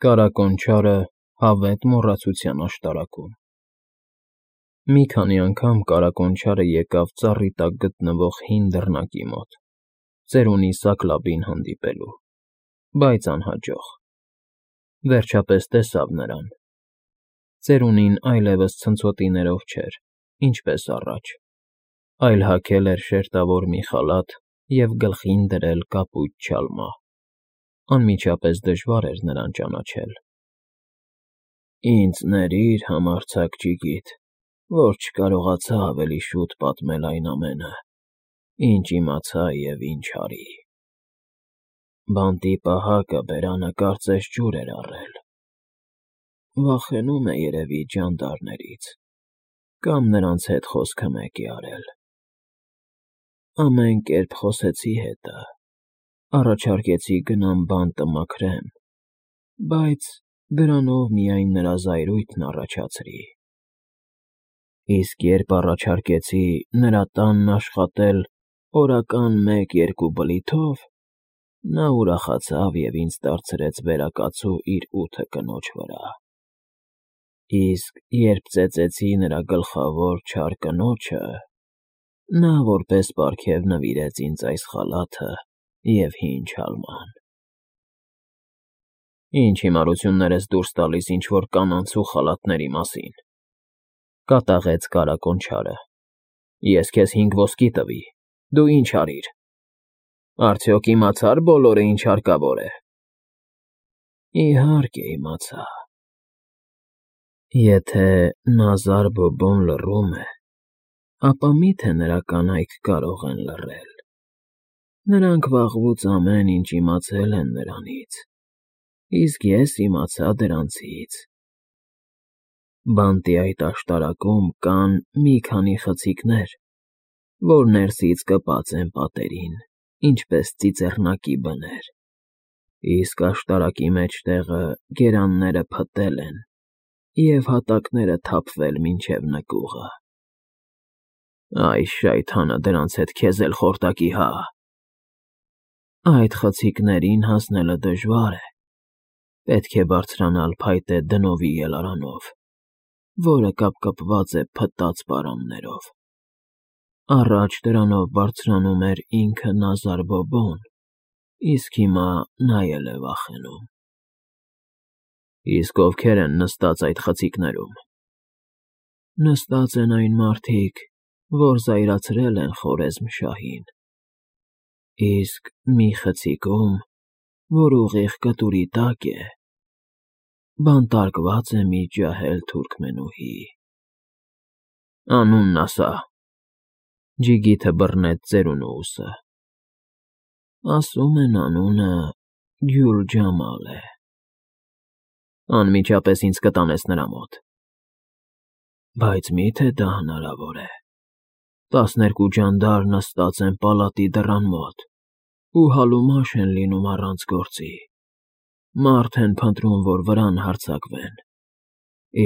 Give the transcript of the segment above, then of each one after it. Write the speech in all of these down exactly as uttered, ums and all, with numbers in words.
Կարակոնչարը հավետ մոռացության աշտարակում Մի քանի անգամ կարակոնչարը եկավ ծառի տակ գտնվող հին դռնակի մոտ, ծերունի Սակլաբին հանդիպելու, բայց անհաջող. վերջապես տեսավ նրան. ծերունին այլևս ցնցոտիներով չէր, ինչպես առաջ, այլ հագել էր շերտավոր մի խալաթ և գլխին դրել կապույտ չալմա. անմիջապես դժվար էր նրան ճանաչել։ ֊ Ինձ ներիր, համարձակ ջիգիտ, որ չկարողացա ավելի շուտ պատմել այն ամենը, ինչ իմացա և ինչ արի. բանտի պահակը բերանը կարծես ջուր էր առել, վախենում է երևի ջանդարներից կամ նրանց հետ խոսքը մեկի արել, ամեն կերպ խոսեցի հետը, առաջարկեցի գնամ բանտը մաքրեմ, բայց դրանով միայն նրա զայրույթն առաջացրի, իսկ երբ առաջարկեցի նրա տանն աշխատել օրական մեկ֊երկու բլիթով, նա ուրախացավ և ինձ դարձրեց վերակացու իր ութը կնոջ վրա, իսկ երբ ծեծեցի նրա գլխավոր չար կնոջը, նա որպես պարգև նվիրեց ինձ այս խալաթը և հին չալման։ ֊ Ի՞նչ հիմարություններ ես դուրս տալիս ինչ֊որ կանանց ու խալաթների մասին,֊ կատաղեց կարակոնչարը։֊ Ես քեզ հինգ ոսկի տվի, դու ի՞նչ արիր, արդյոք իմացա՞ր բոլորը, ինչ հարկավոր է։ ֊ Իհարկե իմացա։ Եթե Նազար-Բոբոն լռում է, ապա մի՞թե նրա կանայք կարող են լռել. նրանք վաղուց ամեն ինչ իմացել են նրանից, իսկ ես իմացա դրանցից. բանտի այդ աշտարակում կան մի քանի խցիկներ, որ ներսից կպած են պատերին, ինչպես ծիծեռնակի բներ, իսկ աշտարակի մեջտեղը գերանները փտել են և հատակները թափվել մինչև նկուղը։ Այս շայթանը դրանց հետ քեզ էլ խորտակի հա… Այդ խցիկներին հասնելը դժվար է, պետք է բարձրանալ փայտե դնովի ելարանով, որը կապկպված է փտած պարաններով, առաջ դրանով բարձրանում էր ինքը Նազար-Բոբոն, իսկ հիմա նա էլ է վախենում։ ֊ Իսկ ովքեր են նստած այդ խցիկներում։ ֊ Նստած են այն մարդիկ, որ զայրացրել են Խորեզմ֊շահին, իսկ մի խցիկում, որ ուղիղ կտուրի տակ է, բանտարկված է մի ջահել թուրքմենուհի։ ֊ Անունն ասա,֊ ջիգիթը բռնեց ծերունու ուսը։ ֊ Ասում են անունը Գյուլ֊Ջամալ է։ ֊ Անմիջապես ինձ կտանես նրա մոտ։ ֊ Բայց մի՞թե դա հնարավոր է, տասներկու ջանդար նստած են պալատի դռան մոտ ու հալումաշ են լինում առանց գործի, մարդ են փնտրում, որ վրան հարձակվեն,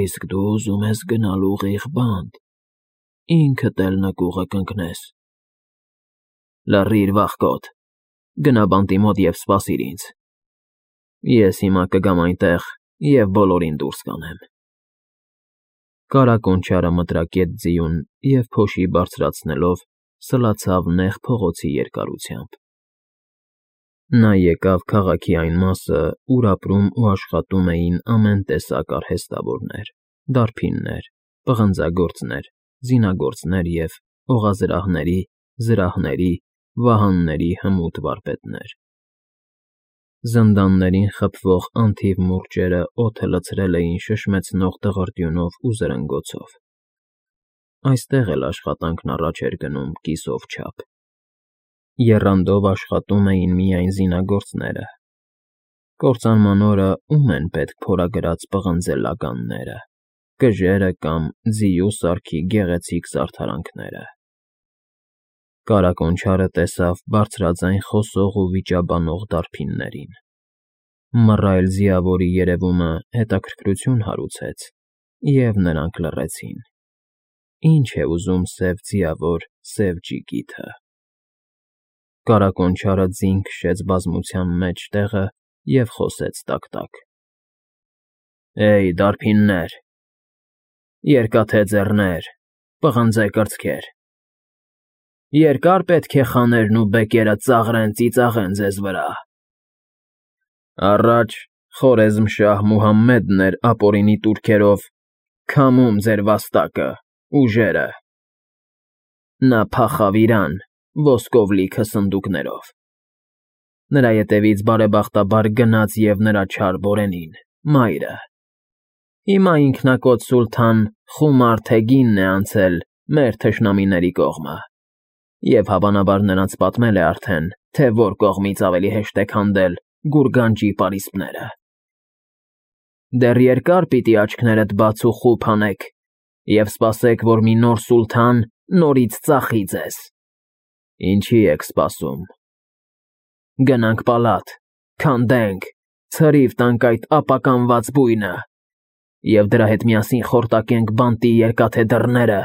իսկ դու ուզում ես գնալ ուղիղ բանտ, ինքդ էլ նկուղը կընկնես։ ֊ Լռիր, վախկոտ, գնա բանտի մոտ և սպասիր ինձ, ես հիմա կգամ այնտեղ և բոլորին դուրս կանեմ։ Կարակոնչարը մտրակեց ձիուն և, փոշի բարձրացնելով, սլացավ նեղ փողոցի երկարությամբ։ Նա եկավ քաղաքի այն մասը, ուր ապրում ու աշխատում էին ամեն տեսակ արհեստավորներ, դարբիններ, պղնձագործներ, զինագործներ և օղազրահների, զրահների, վահանների հմուտ վարպետներ։ Զնդաններին խփվող անթիվ մուրճերը օդը լցրել էին շշմեցնող դղրդյունով ու զրնգոցով։ Այստեղ էլ աշխատանքն առաջ էր գնում կիսով չափ։ Եռանդով աշխատում էին միայն զինագործները։ Կործանման օրը ո՞ւմ են պետք փորագրած պղնձե լագանները, կժերը կամ ձիու սարքի գեղեցիկ զարդարանքները։ Կարակոնչարը տեսավ բարձրաձայն խոսող ու վիճաբանող դարբիններին։ Մռայլ ձիավորի երևումը հետաքրքրություն հարուցեց, և նրանք լռեցին։ Ինչ է ուզում սև ձիավոր սև ջիգիթը։ Կարակոնչարը ձին քշեց բազմության մեջ տեղը և խոսեց տակ֊տակ։ Էй, դարբիններ, երկաթե ձեռներ, պղնձե կրծքեր, երկար պետք է խաներն ու բեկերը ծաղրեն ծիծաղեն ձեզ վրա։ Առաջ Խորեզմշահ Մուհամմեդն էր ապօրինի տուրքերով քամում ձեր վաստակը, ուժերը։ Նա փախավ Իրան ոսկով լիքը սնդուկներով։ Նրա ետևից բարեբախտաբար գնաց և նրա չար բորենին, մայրը։ Հիմա ինքնակոծ սուլթան Խումար Թեգինն է անցել մեր թշնամիների կողմը, և հավանաբար նրանց պատմել է արդեն, թե որ կողմից ավելի հեշտ է քանդել գուրգանջի պարիսպները։ Դեռ երկար պիտի աչքներդ բաց ու խուփ անեք և սպասեք, որ մի նոր սուլթան նորից ծախի ձեզ։ Ինչի եք սպասում։ Գնանք պալատ, քանդենք, ցրիվ տանք այդ ապականված բույնը և դրա հետ միասին խորտակենք բանտի երկաթե դռները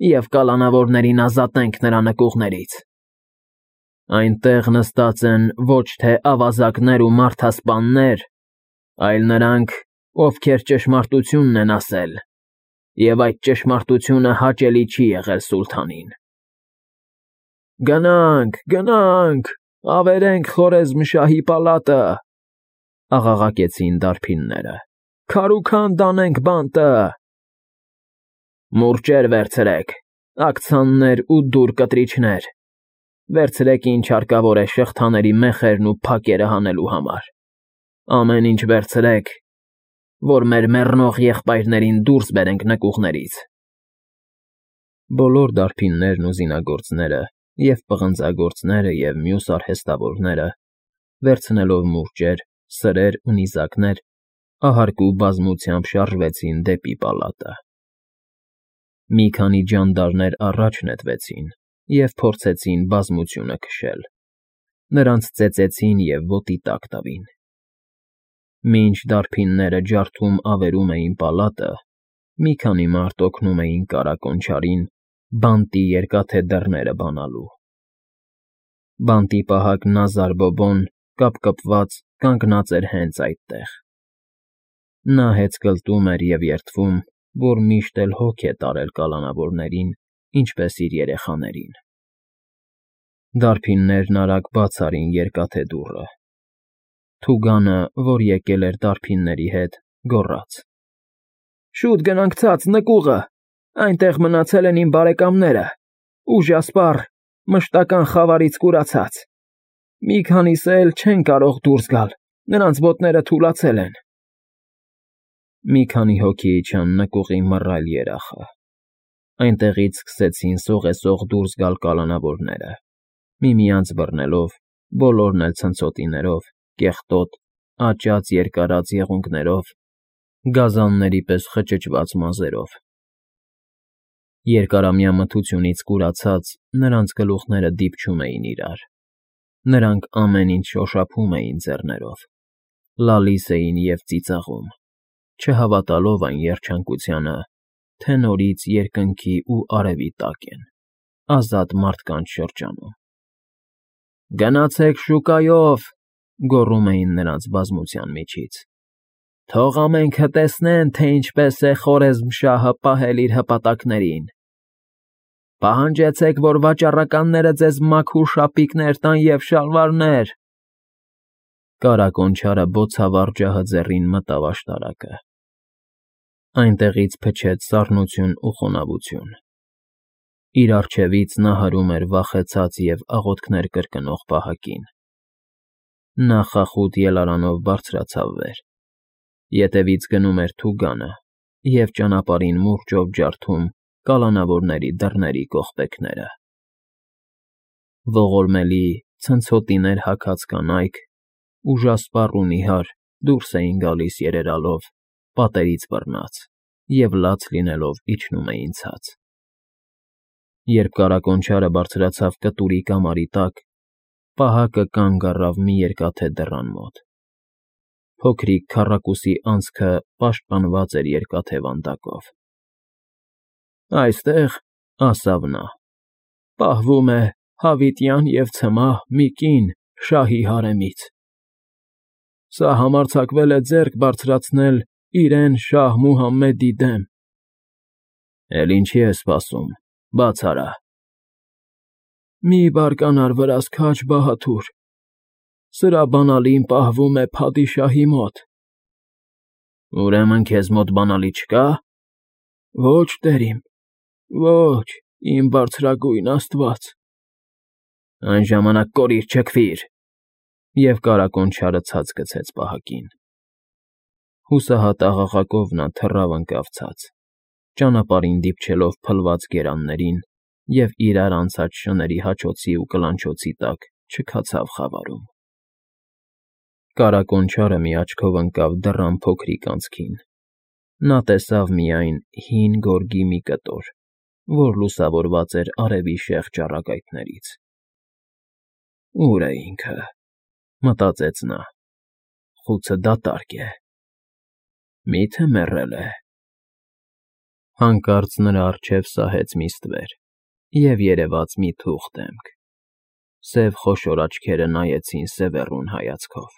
և կալանավորներին ազատենք նրա նկուղներից։ Այնտեղ նստած են ոչ թե ավազակներ ու մարդասպաններ, այլ նրանք, ովքեր ճշմարտությունն են ասել, և այդ ճշմարտությունը հաճելի չի եղել սուլթանին։ Գնանք, գնանք, ավերենք Խորեզմշահի պալատը, աղաղակեցին դարբինները, քարուքանդ անենք բանտը։ Մուրճեր վերցրեք, աքցաններ ու դուռ կտրիչներ, վերցրեք ինչ հարկավոր է շղթաների մեխերն ու փակերը հանելու համար, ամեն ինչ վերցրեք, որ մեր մեռնող եղբայրներին դուրս բերենք նկուղներից։ Բոլոր դարբիններն ու զինագործները, և պղնձագործները, և մյուս արհեստավորները, վերցնելով մուրճեր, սրեր ու նիզակներ, ahարկու բազմությամբ շարժվեցին դեպի պալատը։ Մի քանի ջանդարներ առաջ նետվեցին և փորձեցին բազմությունը քշել, նրանց ծեծեցին և ոտի տակ տվին։ Մինչ դարբինները ջարդում ավերում էին պալատը, մի քանի մարդ օգնում էին կառակոնչարին բանտի երկաթե դռները բանալու։ Բանտի պահակ Նազար Բոբոն, կապկպված, կանգնած էր հենց այդտեղ։ Նա հեծկլտում էր և երդվում, որ միշտ էլ հոգ է տարել կալանավորներին, ինչպես իր երեխաներին։ Դարբիններն արագ բաց արին երկաթե դուռը։ Թուգանը, որ եկել էր դարբինների հետ, գոռաց. Շուտ գնանք ցած նկուղը, այնտեղ մնացել են իմ բարեկամները, ուժասպառ, մշտական խավարից կուրացած։ Մի քանիսը էլ չեն կարող դուրս գալ, նրանց ոտները թուլացել են։ Մի քանի հոգի իջան նկուղի մռայլ երախը։ Այնտեղից սկսեցին սողեսող դուրս գալ կալանավորները, միմյանց բռնելով, բոլորն էլ ցնցոտիներով, կեղտոտ, աճած երկարած եղունգներով, գազանների պես խճճված մազերով։ Երկարամյա մթությունից կուրացած, նրանց գլուխները դիպչում էին իրար, նրանք ամեն ինչ շոշափում էին ձեռներով, լալիս էին և ծիծաղում, չհավատալով այն երջանկությանը, թե նորից երկնքի ու արևի տակ են, ազատ մարդկանց շրջանում։ Գնացեք շուկայով, գոռում էին նրանց բազմության միջից, թող ամենքը տեսնեն, թե ինչպես է Խորեզմշահը պահել իր հպատակներին։ Պահանջեցեք, որ վաճառականները ձեզ մաքուր շապիկներ տան և շալվարներ։ Կառակոնչարը բոցավառ ջահը ձեռին մտավ աշտարակը։ Այնտեղից փչեց սառնություն ու խոնավություն։ Իր առջևից նա հրում էր վախեցած և աղոթքներ կրկնող պահակին։ Նա խախուտ ելարանով բարձրացավ վեր, ետևից գնում էր թուգանը և ճանապարհին մուրճով ջարդում կալանավորների դռների կողպեքները։ Ողորմելի, ցնցոտիներ հագած կանայք, ուժասպառ ու նիհար, դուրս էին գալիս երերալով, պատերից բռնած, և լաց լինելով իջնում էին ցած։ Երբ կառակոնչարը բարձրացավ կտուրի կամարի տակ, պահակը կանգ առավ մի երկաթե դռան մոտ։ Փոքրիկ քառակուսի անցքը պաշտպանված էր երկաթե վանդակով։ Այստեղ, ասավ նա, պահվում է հավիտյան և ցմահ մի կին շահի հարեմից։ Սա համարձակվել է ձեռք բարձրացնել իրեն շահ Մուհամմեդի դեմ։ Էլ ինչի ես սպասում, բաց արա։ Մի բարկանար վրաս քաջ Բահադուր, սրա բանալին պահվում է փադիշահի մոտ։ Ուրեմն քեզ մոտ բանալի չկա։ Ոչ, տերիմ, ոչ, իմ բարձրագույն Աստված։ Այն ժամանակ կորիր չքվիր, և կարակոն չարը ցած գցեց պահակին։ Հուսահատ աղաղակով նա թռավ ընկավ ցած, ճանապարհին դիպչելով փլված գերաններին և իրար անցած շների հաչոցի ու կլանչոցի տակ չքացավ խավարում։ Կարակոն չարը մի աչքով ընկավ դռան փոքրիկ անցքին, նա տեսավ միայն հին գորգի մի կտոր, որ լուսավորված էր արևի շեղ ճառագայթներից։ Ո՞ւր է ինքը, մտածեց նա, խուցը դատարկ է, մի՞թե մեռել է։ Հանկարծ նրա առջև սահեց մի ստվեր և երևաց մի թուղթ դեմք, սև խոշոր աչքերը նայեցին սևեռուն հայացքով։